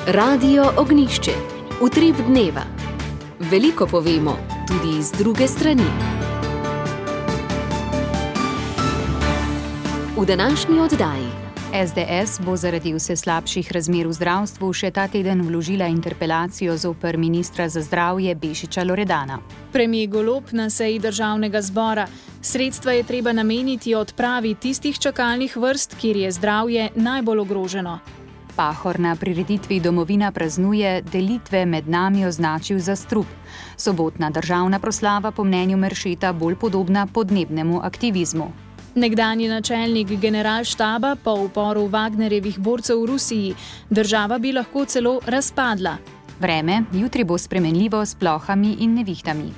Radio Ognjišče. Utrip dneva. Veliko povemo, tudi z druge strani. V današnji oddaji. SDS bo zaradi vse slabših razmer v zdravstvu še ta teden vložila interpelacijo zoper ministra za zdravje Bešiča Loredana. Premier Golob na seji državnega zbora. Sredstva je treba nameniti odpravi tistih čakalnih vrst, kjer je zdravje najbolj ogroženo. Pahor na prireditvi Domovina praznuje delitve med nami označil za strup. Sobotna državna proslava po mnenju Meršeta bolj podobna podnebnemu aktivizmu. Nekdanji načelnik generalštaba po uporu Wagnerjevih borcev v Rusiji. Država bi lahko celo razpadla. Vreme jutri bo spremenljivo s plohami in nevihtami.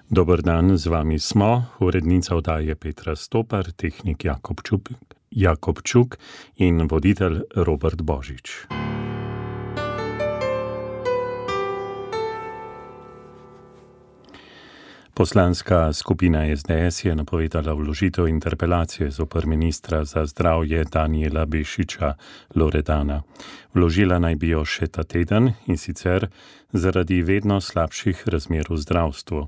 Dober dan, z vami smo, urednica oddaje Petra Stopar, tehnik Jakobčuk in voditelj Robert Božič. Poslanska skupina SDS je napovedala vložitev interpelacije zoper ministra za zdravje Danijela Bešiča Loredana. Vložila naj bi jo še ta teden, in sicer zaradi vedno slabših razmer v zdravstvu.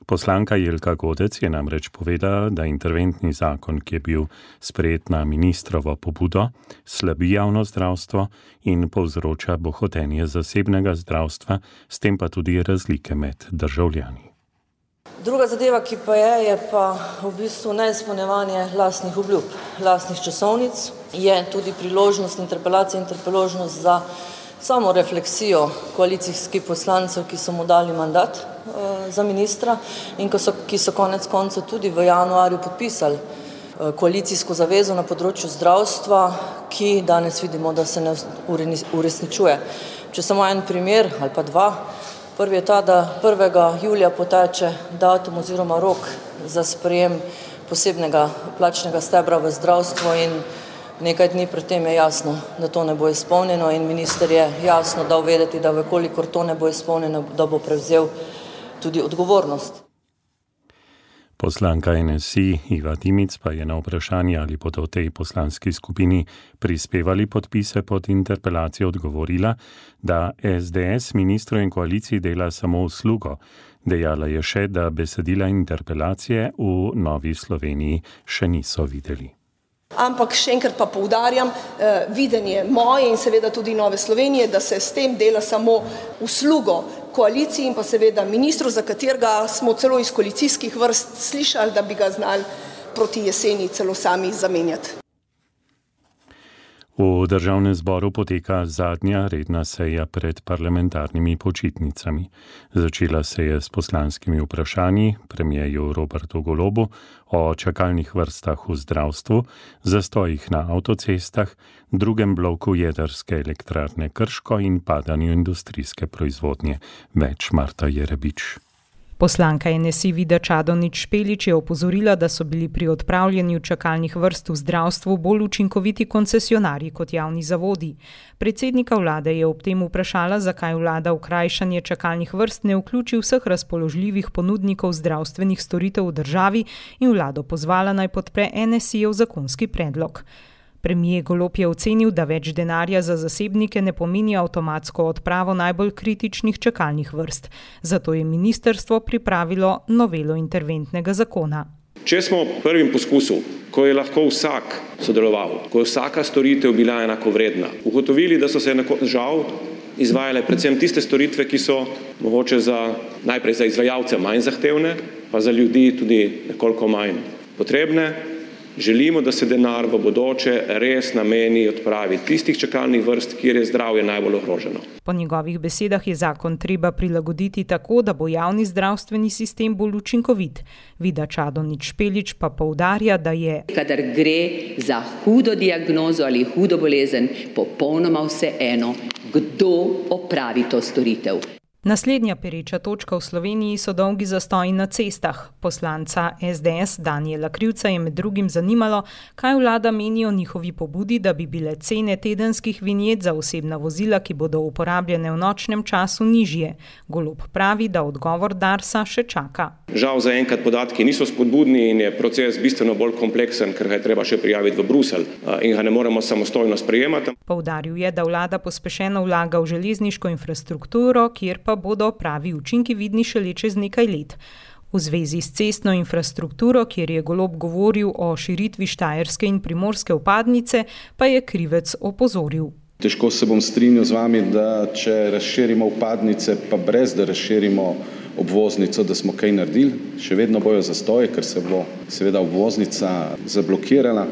Poslanka Jelka Godec je namreč povedala, da interventni zakon, ki je bil sprejet na ministrovo pobudo, slabi javno zdravstvo in povzroča bohotenje zasebnega zdravstva, s tem pa tudi razlike med državljani. Druga zadeva, ki pa je pa v bistvu neizpolnjevanje lastnih obljub, lastnih časovnic, je tudi priložnost interpelacije in priložnost za samo refleksijo koalicijskih poslancev, ki so mu dali mandat za ministra in ki so konec koncev tudi v januarju podpisali koalicijsko zavezo na področju zdravstva, ki danes vidimo, da se ne uresničuje. Če samo en primer ali pa dva. Prvi je ta, da 1. julija poteče datum oziroma rok za sprejem posebnega plačnega stebra v zdravstvo in nekaj dni pred tem je jasno, da to ne bo izpolnjeno in minister je jasno dal vedeti, da vekolikor to ne bo izpolnjeno, da bo prevzel tudi odgovornost. Poslanka NSI Iva Dimic pa je na vprašanje, ali bodo v tej poslanski skupini prispevali podpise pod interpelacijo, odgovorila, da SDS ministru in koaliciji dela samo uslugo. Dejala je še, da besedila interpelacije v Novi Sloveniji še niso videli. Ampak še enkrat pa poudarjam, videnje moje in seveda tudi Nove Slovenije, da se s tem dela samo uslugo koaliciji in pa seveda ministru, za katerega smo celo iz koalicijskih vrst slišali, da bi ga znali proti jeseni celo sami zamenjati. V državnem zboru poteka zadnja redna seja pred parlamentarnimi počitnicami. Začela se je s poslanskimi vprašanji premierju Robertu Golobu o čakalnih vrstah v zdravstvu, zastojih na avtocestah, drugem bloku jedrske elektrarne Krško in padanju industrijske proizvodnje. Več Marta Jerebič. Poslanka NSI Vida Čadonič Špelič je opozorila, da so bili pri odpravljanju čakalnih vrst v zdravstvu bolj učinkoviti koncesionarji kot javni zavodi. Predsednika vlade je ob tem vprašala, zakaj vlada v krajšanje čakalnih vrst ne vključi vseh razpoložljivih ponudnikov zdravstvenih storitev v državi in vlado pozvala naj podpre NSI-jev zakonski predlog. Premier Golob je ocenil, da več denarja za zasebnike ne pomeni avtomatsko odpravo najbolj kritičnih čakalnih vrst. Zato je ministrstvo pripravilo novelo interventnega zakona. Če smo v prvem poskusu, ko je lahko vsak sodeloval, ko je vsaka storitev bila enakovredna, ugotovili, da so se žal izvajale predvsem tiste storitve, ki so mogoče najprej za izvajalce manj zahtevne, pa za ljudi tudi nekoliko manj potrebne, želimo, da se denar v bodoče res nameni odpravi tistih čakalnih vrst, kjer je zdravje najbolj ogroženo. Po njegovih besedah je zakon treba prilagoditi tako, da bo javni zdravstveni sistem bolj učinkovit. Vida Čadonič Špelič pa poudarja, da je, kadar gre za hudo diagnozo ali hudo bolezen, popolnoma vseeno, kdo opravi to storitev. Naslednja pereča točka v Sloveniji so dolgi zastoji na cestah. Poslanca SDS Danijela Krivca je med drugim zanimalo, kaj vlada meni o njihovi pobudi, da bi bile cene tedenskih vinjet za osebna vozila, ki bodo uporabljene v nočnem času, nižje. Golob pravi, da odgovor Darsa še čaka. Žal zaenkrat podatki niso spodbudni in je proces bistveno bolj kompleksen, ker ga je treba še prijaviti v Bruselj in ga ne moremo samostojno sprejemati. Poudaril je, da vlada pospešeno vlaga v železniško infrastrukturo, kjer pa bodo pravi učinki vidni šele čez nekaj let. V zvezi s cestno infrastrukturo, kjer je Golob govoril o širitvi štajerske in primorske vpadnice, pa je Krivec opozoril. Težko se bom strinjal z vami, da če razširimo vpadnice, pa brez da razširimo obvoznico, da smo kaj naredili. Še vedno bojo zastoje, ker se bo seveda obvoznica zablokirala.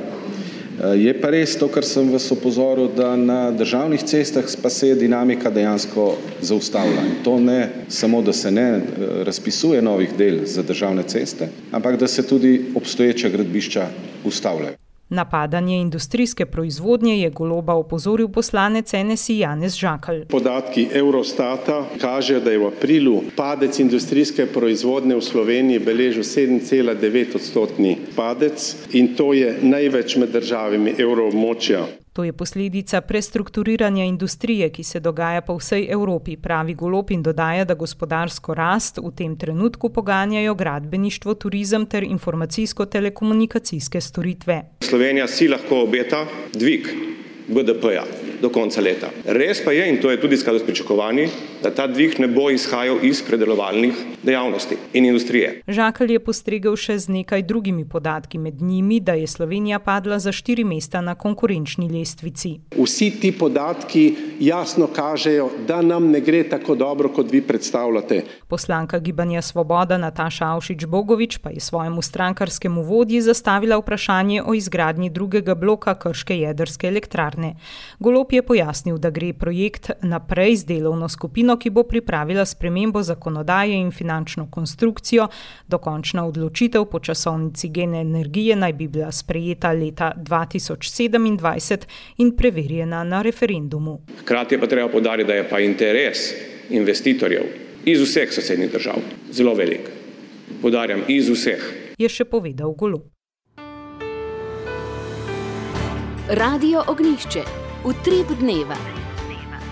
Je pa res to, kar sem vas opozoril, da na državnih cestah pa se je dinamika dejansko zaustavila. In to ne samo, da se ne razpisuje novih del za državne ceste, ampak da se tudi obstoječa gradbišča ustavljajo. Napadanje industrijske proizvodnje je Goloba opozoril poslanec NSI Janez Žakelj. Podatki Eurostata kažejo, da je v aprilu padec industrijske proizvodnje v Sloveniji beležil 7,9% padec in to je največ med državami evroobmočja. To je posledica prestrukturiranja industrije, ki se dogaja po vsej Evropi, pravi Golob in dodaja, da gospodarsko rast v tem trenutku poganjajo gradbeništvo, turizem ter informacijsko-telekomunikacijske storitve. Slovenija si lahko obeta dvig BDP-ja do konca leta. Res pa je, in to je tudi v skladu s pričakovanji, da ta dvig ne bo izhajal iz predelovalnih dejavnosti in industrije. Žakelj je postregel še z nekaj drugimi podatki, med njimi, da je Slovenija padla za 4 mesta na konkurenčni lestvici. Vsi ti podatki jasno kažejo, da nam ne gre tako dobro, kot vi predstavljate. Poslanka Gibanja Svoboda Nataša Avšič-Bogovič pa je svojemu strankarskemu vodji zastavila vprašanje o izgradnji drugega bloka krške jedrske elektrarne. Golob je pojasnil, da gre projekt naprej z delovno skupino, ki bo pripravila spremembo zakonodaje in finančno konstrukcijo. Dokončna odločitev po časovnici Gen energije naj bi bila sprejeta leta 2027 in preverjena na referendumu. Hkrati je pa treba poudariti, da je pa interes investitorjev iz vseh sosednjih držav zelo velik. Poudarjam, iz vseh. Je še povedal Golob. Radio Ognjišče. Utrip dneva.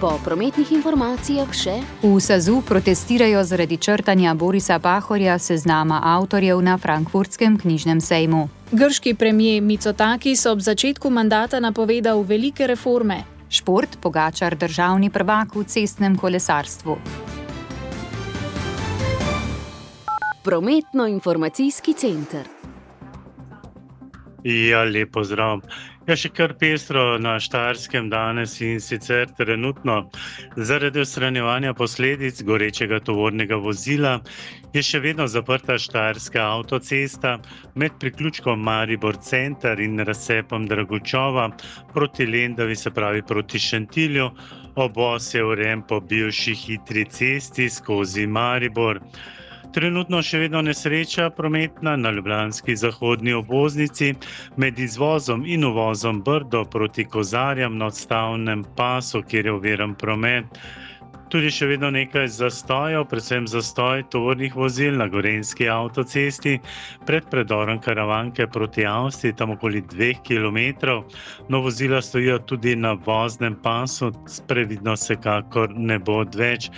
Po prometnih informacijah še. V SAZU protestirajo zaradi črtanja Borisa Pahorja seznama avtorjev na frankfurtskem knjižnem sejmu. Grški premier Mitsotakis ob začetku mandata napovedal velike reforme. Šport, Pogačar državni prvak v cestnem kolesarstvu. Prometno-informacijski center. Ja, lep pozdrav. Še kar pestro na Štajerskem danes in sicer trenutno zaradi odstranjevanja posledic gorečega tovornega vozila je še vedno zaprta Štajerska avtocesta med priključkom Maribor center in razcepom Dragočova proti Lendavi, se pravi proti Šentilju. Obvoz je urejen po bivši hitri cesti skozi Maribor. Trenutno še vedno nesreča prometna na ljubljanski zahodni obvoznici med izvozom in uvozom Brdo proti Kozarjam na odstavnem pasu, kjer je oviran promet. Tudi še vedno nekaj zastojev, predvsem zastoj tovornih vozil na Gorenjski avtocesti pred predorom Karavanke proti Avstriji, tam okoli 2 kilometrov. No, vozila stojijo tudi na voznem pasu, previdnost vsekakor ne bo odveč.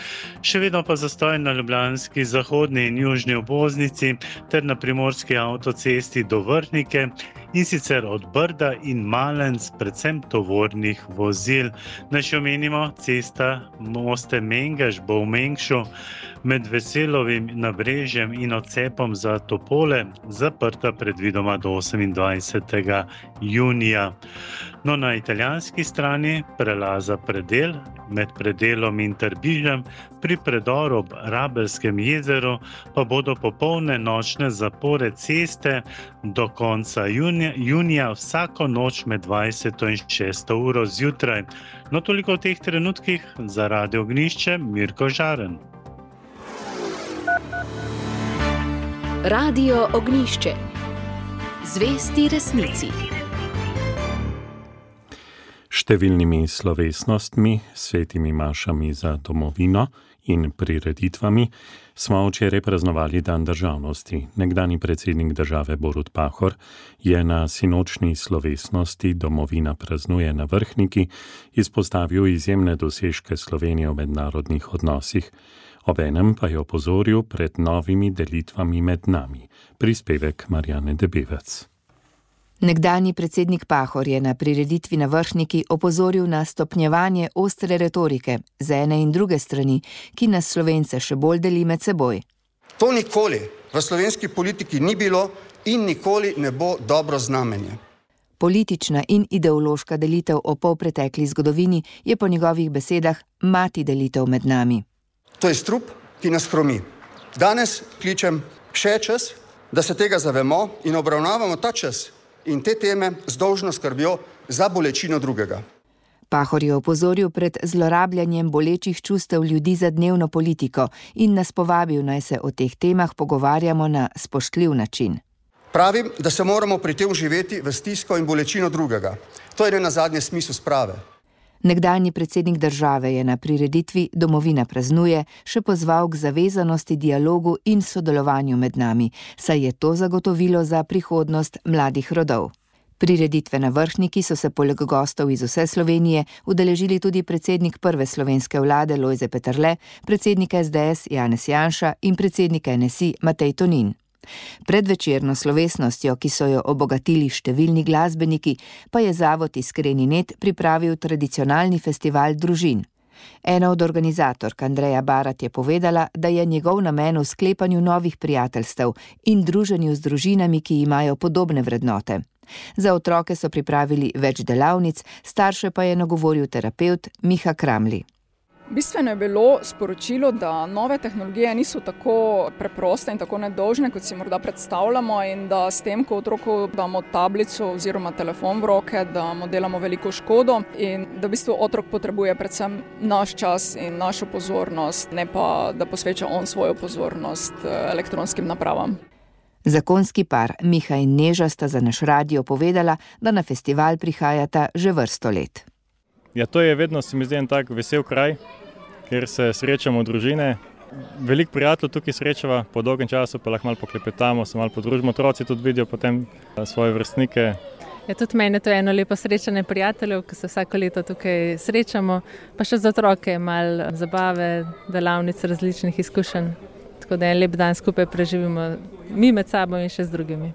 Še vedno pa zastoj na ljubljanski zahodni in južni obvoznici ter na primorski avtocesti do Vrhnike, in sicer od Brda in Malenc, predvsem tovornih vozil. Naj še omenimo, cesta Moste Mengeš bo v Mengšu med Veselovim Nabrežjem in odcepom za Topole zaprta predvidoma do 28. junija. No, na italijanski strani prelaza Predel med Predelom in Trbižem pri predoru ob Rabelskem jezeru pa bodo popolne nočne zapore ceste do konca junija vsako noč med 20. in 6. uro zjutraj. No, toliko v teh trenutkih. Za Radio Ognjišče, Mirko Žaren. Radio Ognjišče. Zvesti resnici. Številnimi slovesnostmi, svetimi mašami za domovino in prireditvami, smo včeraj praznovali Dan državnosti. Nekdanji predsednik države Borut Pahor je na sinočni slovesnosti Domovina praznuje na Vrhniki izpostavil izjemne dosežke Slovenije v mednarodnih odnosih. Obenem pa je opozoril pred novimi delitvami med nami. Prispevek Marjane Debevec. Nekdanji predsednik Pahor je na prireditvi na Vrhniki opozoril na stopnjevanje ostre retorike z ene in druge strani, ki nas Slovence še bolj deli med seboj. To nikoli v slovenski politiki ni bilo in nikoli ne bo dobro znamenje. Politična in ideološka delitev o polpretekli zgodovini je po njegovih besedah mati delitev med nami. To je strup, ki nas hromi. Danes kličem še čas, da se tega zavemo in obravnavamo ta čas in te teme z dolžno skrbjo za bolečino drugega. Pahor je opozoril pred zlorabljanjem bolečih čustev ljudi za dnevno politiko in nas povabil, naj se o teh temah pogovarjamo na spoštljiv način. Pravim, da se moramo pri tem živeti v stisko in bolečino drugega. To je nenazadnje smisel sprave. Nekdanji predsednik države je na prireditvi Domovina praznuje še pozval k zavezanosti, dialogu in sodelovanju med nami, saj je to zagotovilo za prihodnost mladih rodov. Prireditve na Vrhniki so se poleg gostov iz vse Slovenije udeležili tudi predsednik prve slovenske vlade Lojze Peterle, predsednik SDS Janez Janša in predsednik NSI Matej Tonin. Pred večerno slovesnostjo, ki so jo obogatili številni glasbeniki, pa je Zavod Iskreni net pripravil tradicionalni festival družin. Ena od organizatork Andreja Barat je povedala, da je njegov namen v sklepanju novih prijateljstev in druženju z družinami, ki imajo podobne vrednote. Za otroke so pripravili več delavnic, starše pa je nagovoril terapevt Miha Kramli. Bistveno je bilo sporočilo, da nove tehnologije niso tako preproste in tako nedolžne, kot si morda predstavljamo, in da s tem, ko otroku damo tablico oziroma telefon v roke, da mu delamo veliko škodo in da v bistvu otrok potrebuje predvsem naš čas in našo pozornost, ne pa da posveča on svojo pozornost elektronskim napravam. Zakonski par Miha in Neža sta za naš radio povedala, da na festival prihajata že vrsto let. Ja, to je vedno, se mi zdi, en tak vesel kraj, kjer se srečamo družine. Veliko prijateljev tukaj srečava, po dolgem času pa lahko malo poklepetamo, se malo podružimo, otroci tudi vidijo potem svoje vrstnike. Ja, tudi meni to je eno lepo srečanje prijateljev, ki se vsako leto tukaj srečamo, pa še za otroke malo zabave, delavnic, različnih izkušenj. Tako da en lep dan skupaj preživimo mi med sabo in še z drugimi.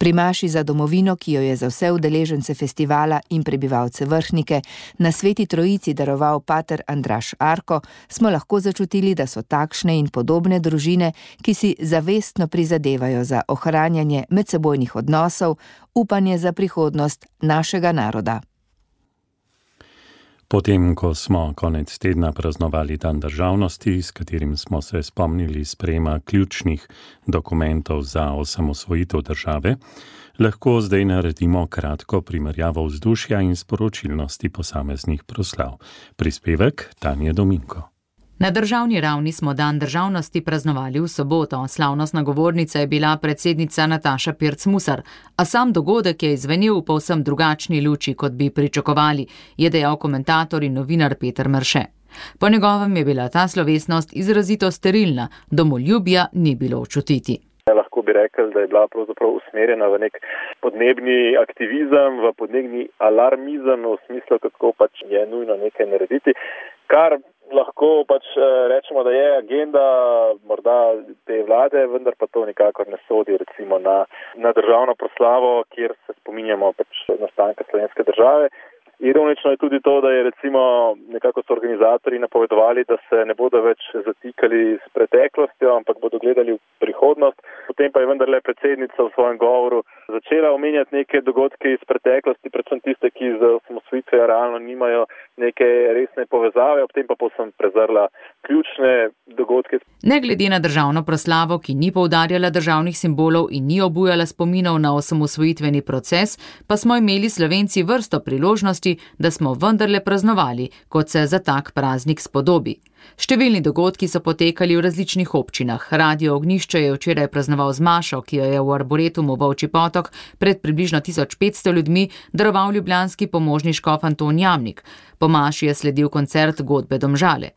Pri maši za domovino, ki jo je za vse udeležence festivala in prebivalce Vrhnike na Sveti Trojici daroval pater Andraž Arko, smo lahko začutili, da so takšne in podobne družine, ki si zavestno prizadevajo za ohranjanje medsebojnih odnosov, upanje za prihodnost našega naroda. Potem, ko smo konec tedna praznovali Dan državnosti, s katerim smo se spomnili sprejema ključnih dokumentov za osamosvojitev države, lahko zdaj naredimo kratko primerjavo vzdušja in sporočilnosti posameznih proslav. Prispevek Tanje Dominko. Na državni ravni smo Dan državnosti praznovali v soboto. Slavnostna govornica je bila predsednica Nataša Pirc Musar, a sam dogodek je izvenel v povsem drugačni luči, kot bi pričakovali, je dejal komentator in novinar Peter Mrše. Po njegovem je bila ta slovesnost izrazito sterilna, domoljubja ni bilo občutiti. Lahko bi rekel, da je bila pravzaprav usmerjena v nek podnebni aktivizem, v podnebni alarmizem, v smislu, kako pač je nujno nekaj narediti, kar lahko pač rečemo, da je agenda morda te vlade, vendar pa to nikakor ne sodi recimo na državno proslavo, kjer se spominjamo pač nastanka slovenske države. Ironično je tudi to, da je recimo nekako so organizatorji napovedovali, da se ne bodo več zatikali s preteklostjo, ampak bodo gledali v prihodnost. Potem pa je vendarle predsednica v svojem govoru začela omenjati neke dogodke iz preteklosti, predvsem tiste, ki z osamosvojitvijo realno nimajo neke resne povezave, ob tem pa povsem prezrla ključne dogodke. Ne glede na državno proslavo, ki ni poudarjala državnih simbolov in ni obujala spominov na osamosvojitveni proces, pa smo imeli Slovenci vrsto priložnosti, da smo vendarle praznovali, kot se za tak praznik spodobi. Številni dogodki so potekali v različnih občinah. Radio Ognjišče je včeraj praznoval sodeloval z mašo, ki jo je v Arboretumu Volčji potok pred približno 1500 ljudmi daroval ljubljanski pomožni škof Anton Jamnik. Po maši je sledil koncert godbe Domžale.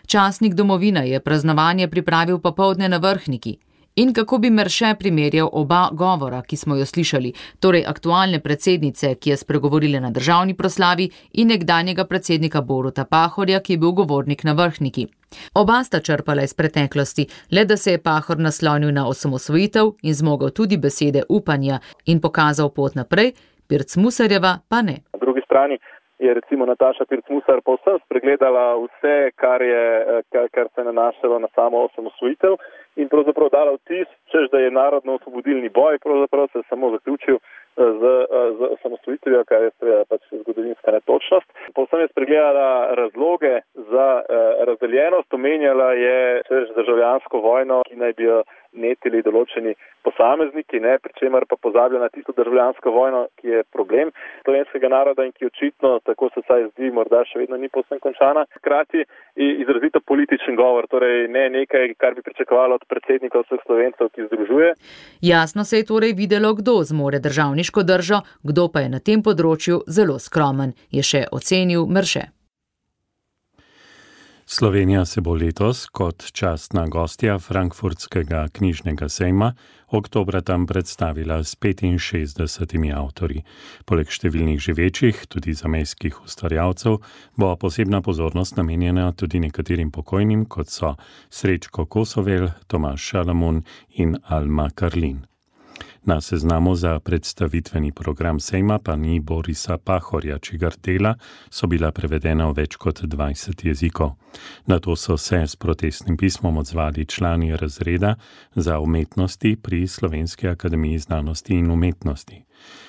Časnik Domovina je praznovanje pripravil popoldne na Vrhniki. In kako bi Merše primerjal oba govora, ki smo jo slišali, torej aktualne predsednice, ki je spregovorila na državni proslavi, in nekdanjega predsednika Boruta Pahorja, ki je bil govornik na Vrhniki. Oba sta črpala iz preteklosti, le da se je Pahor naslonil na osamosvojitev in zmogel tudi besede upanja in pokazal pot naprej, Pirc Musarjeva pa ne. Na drugi strani je recimo Nataša Pirc Musar povsem spregledala vse, kar se je nanašalo na samo osamosvojitev in pravzaprav dala vtis, češ da je narodno-osvobodilni boj, pravzaprav se je samo zaključil z osamosvojitvijo, kar je pač zgodovinska netočnost. Povsem je spregledala razloge za razdeljenost, omenjala je državljansko vojno, ki naj bi jo netili določeni posamezniki, pri čemer pa pozablja na tisto državljansko vojno, ki je problem slovenskega naroda in ki očitno, tako se vsaj zdi, morda še vedno ni povsem končana. Hkrati izrazito političen govor, torej ne nekaj, kar bi pričakovalo od predsednika vseh Slovencev, ki združuje. Jasno se je torej videlo, kdo zmore državniško držo, kdo pa je na tem področju zelo skromen, je še ocenil Merše. Slovenija se bo letos kot častna gostja Frankfurtskega knjižnega sejma oktobra tam predstavila s 65 avtorji. Poleg številnih živečih, tudi zamejskih ustvarjalcev, bo posebna pozornost namenjena tudi nekaterim pokojnim, kot so Srečko Kosovel, Tomaž Šalamun in Alma Karlin. Na seznamu za predstavitveni program sejma pa ni Borisa Pahorja, čigar dela so bila prevedena v več kot 20 jezikov. Na to so se s protestnim pismom odzvali člani razreda za umetnosti pri Slovenski akademiji znanosti in umetnosti.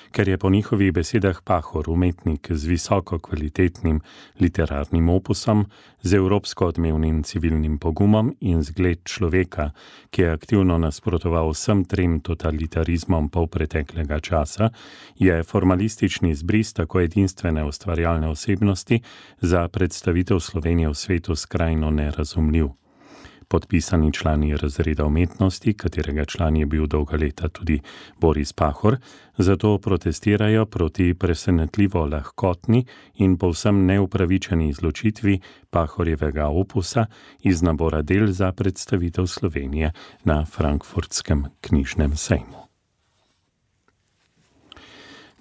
Ker je po njihovih besedah Pahor umetnik z visoko kvalitetnim literarnim opusom, z evropsko odmevnim civilnim pogumom in zgled človeka, ki je aktivno nasprotoval vsem trem totalitarizmom polpreteklega časa, je formalistični izbris tako edinstvene ustvarjalne osebnosti za predstavitev Slovenije v svetu skrajno nerazumljiv. Podpisani člani razreda umetnosti, katerega član je bil dolga leta tudi Boris Pahor, zato protestirajo proti presenetljivo lahkotni in povsem neupravičeni izločitvi Pahorjevega opusa iz nabora del za predstavitev Slovenije na Frankfurtskem knjižnem sejmu.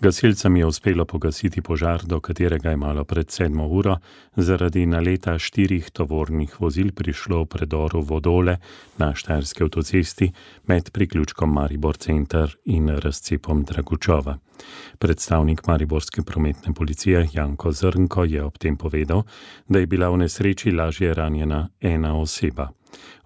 Gasilcem je uspelo pogasiti požar, do katerega je malo pred 7 uro zaradi naleta 4 tovornih vozil prišlo v predoru Vodole na Štajerski avtocesti med priključkom Maribor center in razcepom Dragučova. Predstavnik mariborske prometne policije Janko Zrnko je ob tem povedal, da je bila v nesreči lažje ranjena ena oseba.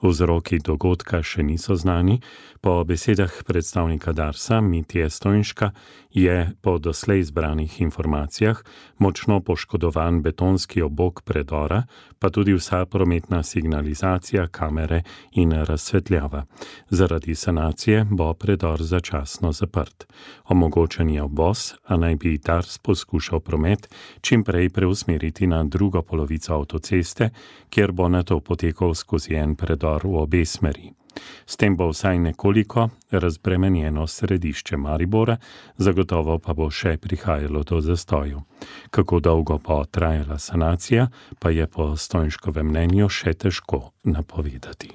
Vzroki dogodka še niso znani. Po besedah predstavnika Darsa Mitje Stojnška je po doslej zbranih informacijah močno poškodovan betonski obok predora, pa tudi vsa prometna signalizacija, kamere in razsvetljava. Zaradi sanacije bo predor začasno zaprt. Omogočen je obvoz, a naj bi Dars poskušal promet čim prej preusmeriti na drugo polovico avtoceste, kjer bo nato potekal skozi en predor v obe smeri. S tem bo vsaj nekoliko razbremenjeno središče Maribora, zagotovo pa bo še prihajalo do zastoju. Kako dolgo bo trajala sanacija, pa je po Stojnškovem mnenju še težko napovedati.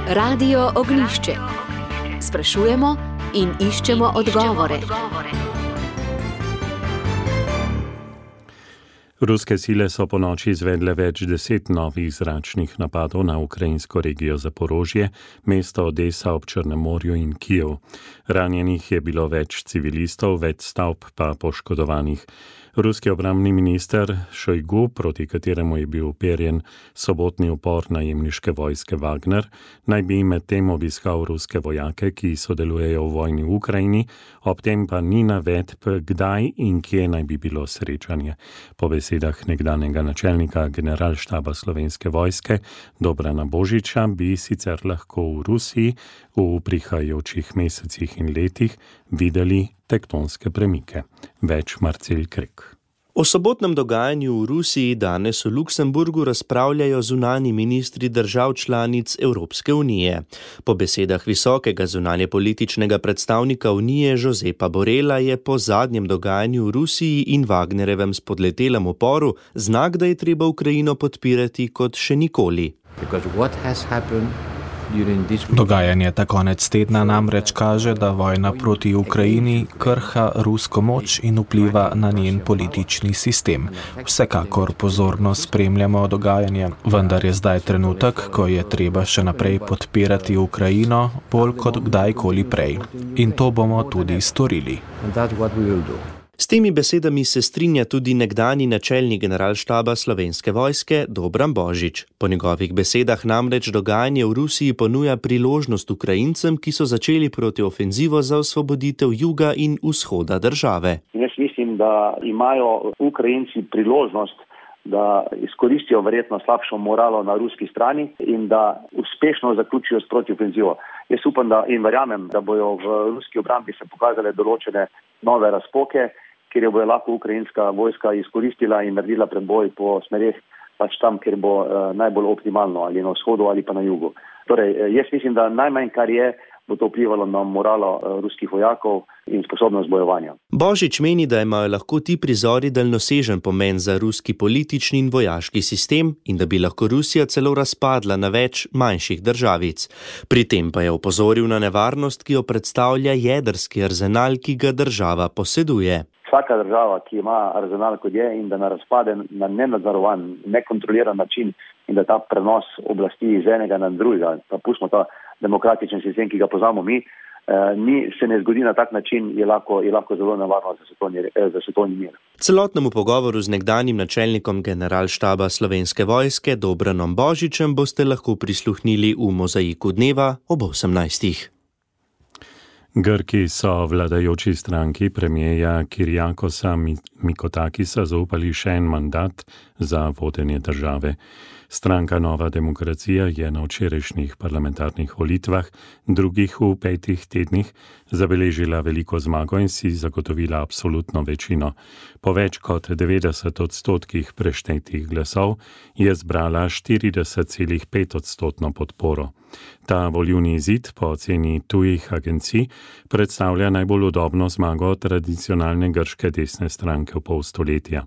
Radio Ognjišče. Sprašujemo in iščemo odgovore. Ruske sile so ponoči izvedle več 10 novih zračnih napadov na ukrajinsko regijo Zaporožje, mesto Odesa ob Črnem morju in Kijev. Ranjenih je bilo več civilistov, več stavb pa poškodovanih. Ruski obrambni minister Šojgu, proti kateremu je bil uperjen sobotni upor najemniške vojske Wagner, naj bi medtem obiskal ruske vojake, ki sodelujejo v vojni v Ukrajini, ob tem pa ni navedb, kdaj in kje naj bi bilo srečanje. Po besedah nekdanjega načelnika generalštaba Slovenske vojske Dobrana Božiča bi sicer lahko v Rusiji v prihajajočih mesecih in letih videli tektonske premike. Več Marcel Krek. O sobotnem dogajanju v Rusiji danes v Luksemburgu razpravljajo zunanji ministri držav članic Evropske unije. Po besedah visokega zunanjepolitičnega predstavnika Unije Josepa Borrella je po zadnjem dogajanju v Rusiji in Wagnerjevem spodletelem uporu znak, da je treba Ukrajino podpirati kot še nikoli. Dogajanje ta konec tedna namreč kaže, da vojna proti Ukrajini krha rusko moč in vpliva na njen politični sistem. Vsekakor pozorno spremljamo dogajanje, vendar je zdaj trenutek, ko je treba še naprej podpirati Ukrajino bolj kot kdajkoli prej. In to bomo tudi storili. S temi besedami se strinja tudi nekdanji načelnik generalštaba Slovenske vojske Dobran Božič. Po njegovih besedah namreč dogajanje v Rusiji ponuja priložnost Ukrajincem, ki so začeli protiofenzivo za osvoboditev juga in vzhoda države. Jaz mislim, da imajo Ukrajinci priložnost, da izkoristijo verjetno slabšo moralo na ruski strani in da uspešno zaključijo s protiofenzivo. Jaz upam in verjamem, da bojo v ruski obrambi se pokazale določene nove razpoke, kjer jo bo lahko ukrajinska vojska izkoristila in naredila preboj po smereh pač tam, kjer bo najbolj optimalno, ali na vzhodu ali pa na jugu. Torej, jaz mislim, da najmanj, kar je, bo to vplivalo na moralo ruskih vojakov in sposobnost bojevanja. Božič meni, da imajo lahko ti prizori daljnosežen pomen za ruski politični in vojaški sistem in da bi lahko Rusija celo razpadla na več manjših državic. Pri tem pa je opozoril na nevarnost, ki jo predstavlja jedrski arzenal, ki ga država poseduje. Vsaka država, ki ima arzenal kot je in da ne razpade na nenadzorovan, nekontroliran način in da ta prenos oblasti iz enega na drugega, pa pustimo ta demokratičen sistem, ki ga poznamo mi, se ne zgodi na tak način, je lahko zelo nevarno za svetovni mir. Celotnemu pogovoru z nekdanjim načelnikom generalštaba Slovenske vojske Dobranom Božičem boste lahko prisluhnili v Mozaiku dneva ob 18. Grki so vladajoči stranki premierja Kyriakosa Mitsotakisa zaupali še en mandat za vodenje države. Stranka Nova demokracija je na včerajšnjih parlamentarnih volitvah, drugih v 5 tednih, zabeležila veliko zmago in si zagotovila absolutno večino. Po več kot 90% preštetih glasov je zbrala 40,5% podporo. Ta volilni izid po oceni tujih agencij predstavlja najbolj udobno zmago tradicionalne grške desne stranke v pol stoletja.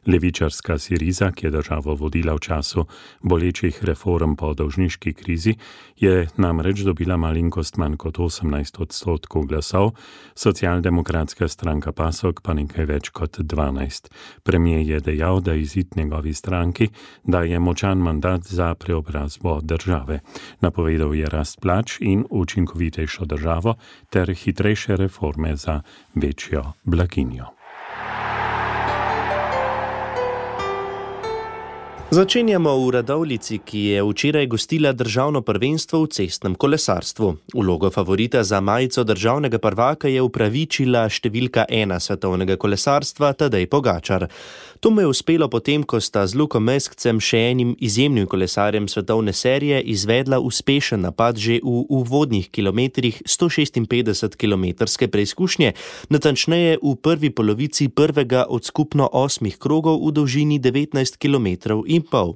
Levičarska Siriza, ki je državo vodila v času bolečih reform po dolžniški krizi, je namreč dobila malenkost manj kot 18% glasov, socialdemokratska stranka PASOK pa nekaj več kot 12%. Premier je dejal, da izid njegovi stranki daje močan mandat za preobrazbo države. Napovedal je rast plač in učinkovitejšo državo ter hitrejše reforme za večjo blaginjo. Začenjamo v Radovljici, ki je včeraj gostila državno prvenstvo v cestnem kolesarstvu. Vlogo favorita za majico državnega prvaka je upravičila številka 1 svetovnega kolesarstva Tadej Pogačar. To mu je uspelo potem, ko sta z Lukom Meskcem, še enim izjemnim kolesarjem svetovne serije, izvedla uspešen napad že v uvodnih kilometrih 156-kilometrske preizkušnje, natančneje v prvi polovici prvega od skupno 8 krogov v dolžini 19 kilometrov in pol.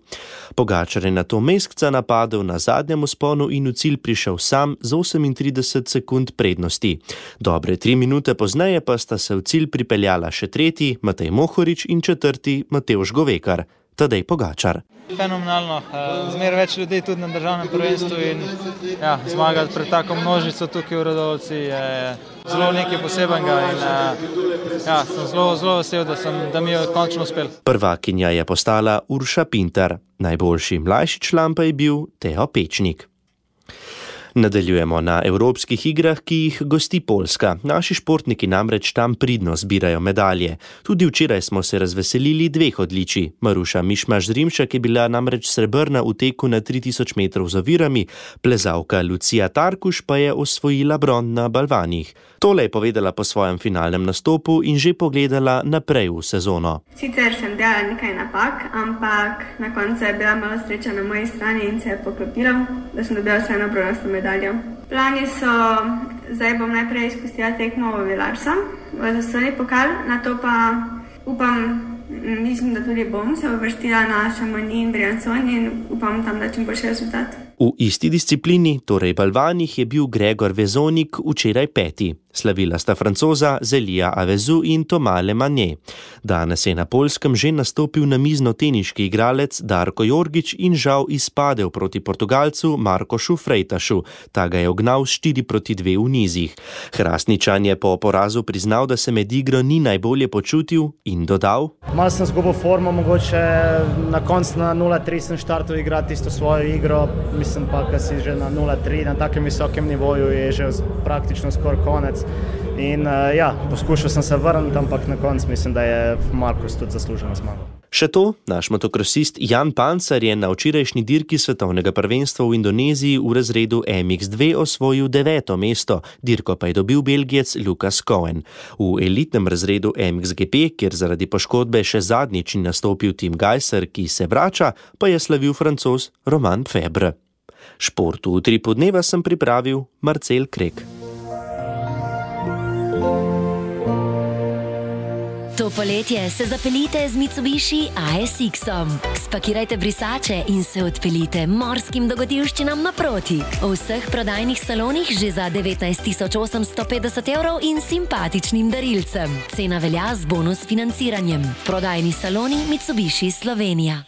Pogačar je nato Meskca napadel na zadnjem vzponu in v cilj prišel sam z 38 sekund prednosti. Dobre 3 minute pozneje pa sta se v cilj pripeljala še tretji, Matej Mohorič, in četrti, Matevž Govekar. Tadej Pogačar. Fenomenalno, zmeraj več ljudi tudi na državnem prvenstvu in zmagati pred tako množico tukaj v Radovljici je zelo nekaj posebenega in sem zelo vesel, da mi je končno uspel. Prvakinja je postala Urša Pintar, najboljši mlajši član pa je bil Teo Pečnik. Nadaljujemo na evropskih igrah, ki jih gosti Poljska. Naši športniki namreč tam pridno zbirajo medalje. Tudi včeraj smo se razveselili 2 odličij. Maruša Mišmaš-Zrimšek je bila namreč srebrna v teku na 3000 metrov z ovirami, plezalka Lucija Tarkuš pa je osvojila bron na balvanih. Tole je povedala po svojem finalnem nastopu in že pogledala naprej v sezono. Sicer sem delala nekaj napak, ampak na koncu je bila malo sreča na moji strani in se je poklopilo, da sem dobila vseeno bronasto medaljo. Plani so, zdaj bom najprej izpustila tekmo v Vilarsa, v zastojni pokal, nato pa upam Mislim, da tudi bom se uvrstila na Chamonix in Briançon in upam tam, da čim boljši rezultat. V isti disciplini, torej balvanih, je bil Gregor Vezonik včeraj 5. Slavila sta Francoza Zelija Avezu in Thomas Le Manje. Danes je na Poljskem že nastopil namizno-teniški igralec Darko Jorgič in žal izpadel proti Portugalcu Markošu Frejtašu. Ta ga je ognal 4-2 v nizih. Hrastničan je po porazu priznal, da se med igro ni najbolje počutil in dodal: Malo sem zgubil formo, mogoče na koncu na 0-3 sem štartal igrati isto svojo igro. Mislim pa, ko si že na 0-3, na takem visokem nivoju je že praktično skoraj konec. In poskušal sem se vrniti, ampak na koncu mislim, da je Markus tudi zasluženo zmagal. Še to, naš motokrosist Jan Pancar je na včerajšnji dirki svetovnega prvenstva v Indoneziji v razredu MX2 osvojil 9. mesto, dirko pa je dobil Belgijec Lukas Cohen. V elitnem razredu MXGP, kjer zaradi poškodbe še zadnjič ni nastopil Tim Gajser, ki se vrača, pa je slavil Francoz Romain Febre. Športu v Utripu dneva sem pripravil Marcel Krek. To poletje se zapeljite z Mitsubishi ASX-om. Spakirajte brisače in se odpeljite morskim dogodivščinam naproti. V vseh prodajnih salonih že za 19.850 € in simpatičnim darilcem. Cena velja z bonus financiranjem. Prodajni saloni Mitsubishi Slovenija.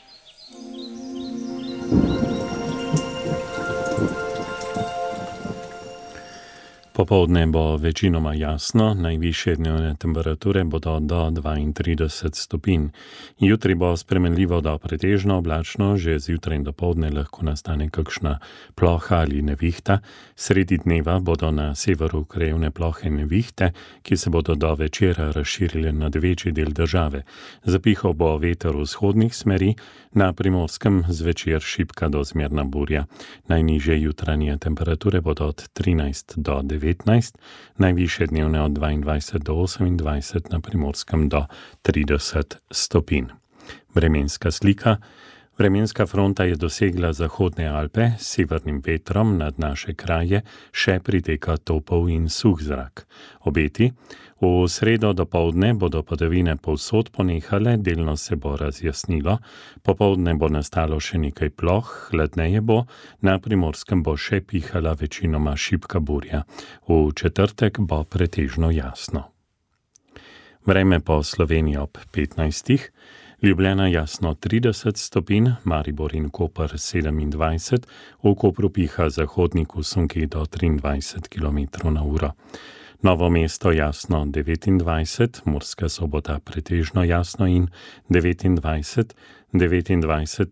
Popoldne bo večinoma jasno, najvišje dnevne temperature bodo do 32 stopinj. Jutri bo spremenljivo do pretežno oblačno, že zjutraj in dopoldne lahko nastane kakšna ploha ali nevihta. Sredi dneva bodo na severu krajevne plohe nevihte, ki se bodo do večera razširile nad večji del države. Zapihal bo veter vzhodnih smeri, na Primorskem zvečer šibka do zmerna burja. Najnižje jutranje temperature bodo od 13 do 19, najvišje dnevne od 22 do 28, na Primorskem do 30 stopinj. Vremenska slika. Vremenska fronta je dosegla Zahodne Alpe, s severnim vetrom nad naše kraje še priteka topel in suh zrak. Obeti. V sredo dopoldne bodo padavine povsod ponehale, delno se bo razjasnilo, popoldne bo nastalo še nekaj ploh, hladneje bo, na Primorskem bo še pihala večinoma šibka burja. V četrtek bo pretežno jasno. Vreme po Sloveniji ob 15. Ljubljana jasno 30 stopinj, Maribor in Koper 27, v Kopru piha zahodnik v sunki do 23 km/h. Novo mesto jasno 29, Murska Sobota pretežno jasno in 29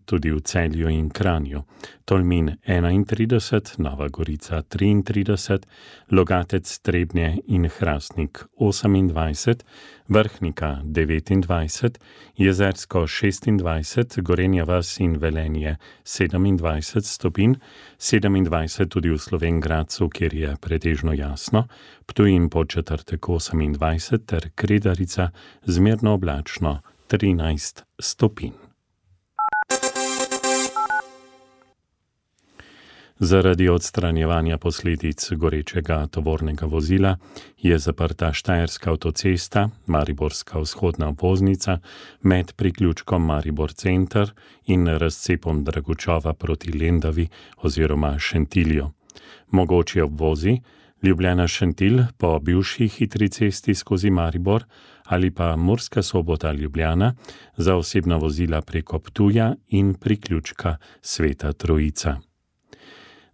tudi v Celju in Kranju. Tolmin 31, Nova Gorica 33, Logatec, Trebnje in Hrastnik 28, Vrhnika 29, Jezersko 26, Gorenja vas in Velenje 27 stopinj, 27 tudi v Slovenj Gradcu, kjer je pretežno jasno, Ptuj in Podčetrtek 28 ter Kredarica zmerno oblačno 13 stopinj. Zaradi odstranjevanja posledic gorečega tovornega vozila je zaprta Štajerska avtocesta, Mariborska vzhodna obvoznica med priključkom Maribor Center in razcepom Dragučova proti Lendavi oziroma Šentilju. Mogoči obvozi Ljubljana Šentilj po bivši hitri cesti skozi Maribor ali pa Murska Sobota Ljubljana za osebna vozila preko Ptuja in priključka Sveta Trojica.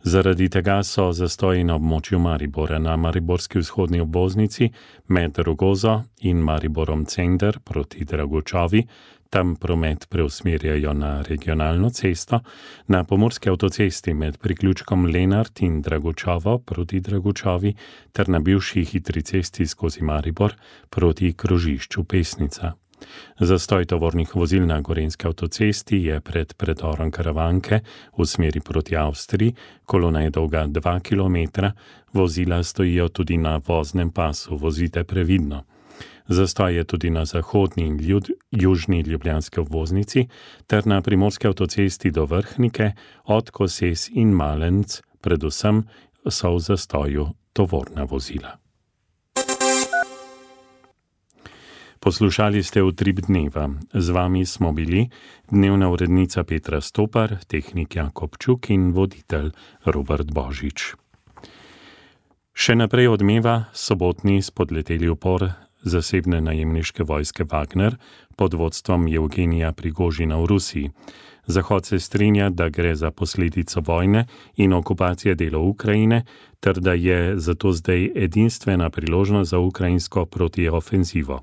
Zaradi tega so zastoji na območju Maribora na Mariborski vzhodni obvoznici med Rogozo in Mariborom Center proti Dragučovi, tam promet preusmerjajo na regionalno cesto, na pomurski avtocesti med priključkom Lenart in Dragučovo proti Dragučovi ter na bivši hitri cesti skozi Maribor proti krožišču Pesnica. Zastoj tovornih vozil na Gorenjski avtocesti je pred predorom Karavanke v smeri proti Avstriji, kolona je dolga 2 km, vozila stojijo tudi na voznem pasu, vozite previdno. Zastoj je tudi na zahodni in južni ljubljanski obvoznici ter na primorski avtocesti do Vrhnike, od Koses in Malenc, predvsem so v zastoju tovorna vozila. Poslušali ste Utrip dneva. Z vami smo bili dnevna urednica Petra Stopar, tehnik Jakob Čuk in voditelj Robert Božič. Še naprej odmeva sobotni spodleteli upor zasebne najemniške vojske Wagner pod vodstvom Evgenija Prigožina v Rusiji. Zahod se strinja, da gre za posledico vojne in okupacije delov Ukrajine, ter da je zato zdaj edinstvena priložnost za ukrajinsko protiofenzivo.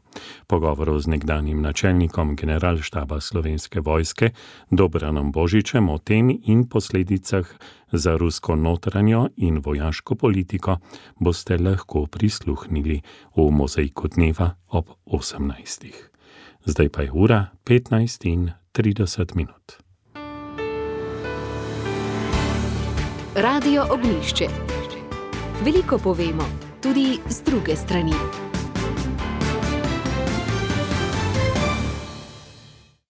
Pogovorov z nekdanjim načelnikom generalštaba Slovenske vojske Dobranom Božičem o tem in posledicah za rusko notranjo in vojaško politiko boste lahko prisluhnili v Mozaiku dneva ob 18. Zdaj pa je ura 15:30. Radio Ognjišče. Veliko povemo, tudi z druge strani.